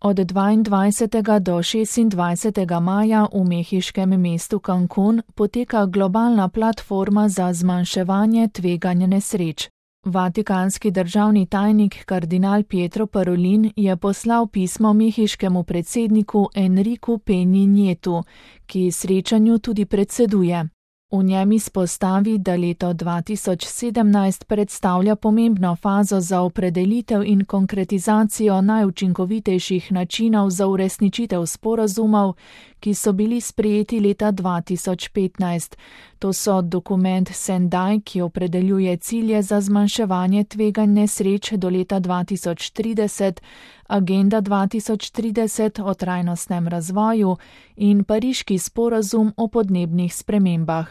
Od 22. do 26. maja v mehiškem mestu Cancún poteka globalna platforma za zmanjševanje tveganja nesreč. Vatikanski državni tajnik kardinal Pietro Parolin je poslal pismo mehiškemu predsedniku Enriku Peñi Nietu, ki srečanju tudi predseduje. V njem izpostavi, da leto 2017 predstavlja pomembno fazo za opredelitev in konkretizacijo najučinkovitejših načinov za uresničitev sporazumov, ki so bili sprejeti leta 2015. To so dokument Sendai, ki opredeljuje cilje za zmanjševanje tveganj nesreč do leta 2030, Agenda 2030 o trajnostnem razvoju in Pariški sporazum o podnebnih spremembah.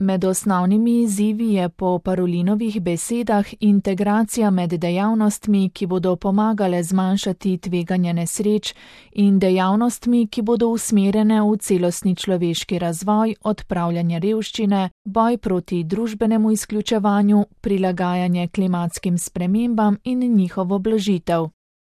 Med osnovnimi izzivi je po Parolinovih besedah integracija med dejavnostmi, ki bodo pomagale zmanjšati tveganje nesreč, in dejavnostmi, ki bodo usmerjene v celostni človeški razvoj, odpravljanje revščine, boj proti družbenemu izključevanju, prilagajanje klimatskim spremembam in njihovo blažitev.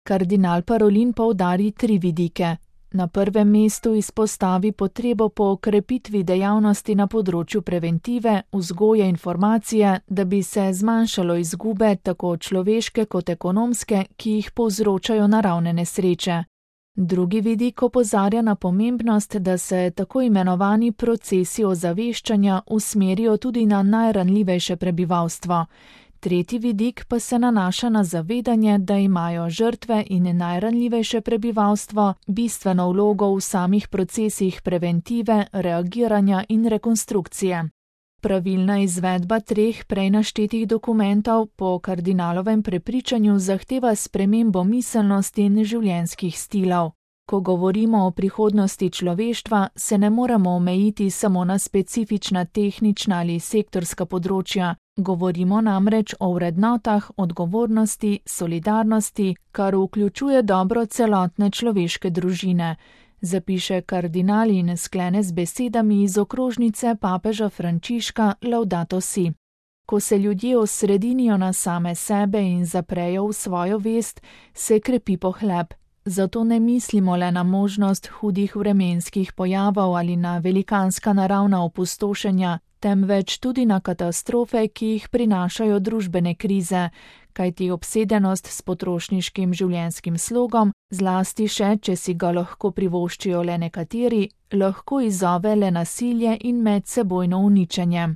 Kardinal Parolin poudari 3 vidike. Na prvem mestu izpostavi potrebo po okrepitvi dejavnosti na področju preventive, vzgoje informacije, da bi se zmanjšalo izgube, tako človeške kot ekonomske, ki jih povzročajo naravne nesreče. Drugi vidik opozarja na pomembnost, da se tako imenovani procesi ozaveščanja usmerijo tudi na najranljivejše prebivalstvo. Tretji vidik pa se nanaša na zavedanje, da imajo žrtve in najranljivejše prebivalstvo bistveno vlogo v samih procesih preventive, reagiranja in rekonstrukcije. Pravilna izvedba 3 prej naštetih dokumentov po kardinalovem prepričanju zahteva spremembo miselnosti in življenjskih stilov. Ko govorimo o prihodnosti človeštva, se ne moremo omejiti samo na specifična tehnična ali sektorska področja. Govorimo namreč o vrednotah, odgovornosti, solidarnosti, kar vključuje dobro celotne človeške družine, zapiše kardinal in sklene z besedami iz okrožnice papeža Frančiška Laudato Si. Ko se ljudje osredinijo na same sebe in zaprejo v svojo vest, se krepi pohleb. Zato ne mislimo le na možnost hudih vremenskih pojavov ali na velikanska naravna opustošenja, temveč tudi na katastrofe, ki jih prinašajo družbene krize, kajti obsedenost s potrošniškim življenjskim slogom, zlasti še, če si ga lahko privoščijo le nekateri, lahko izzove le nasilje in medsebojno uničenje.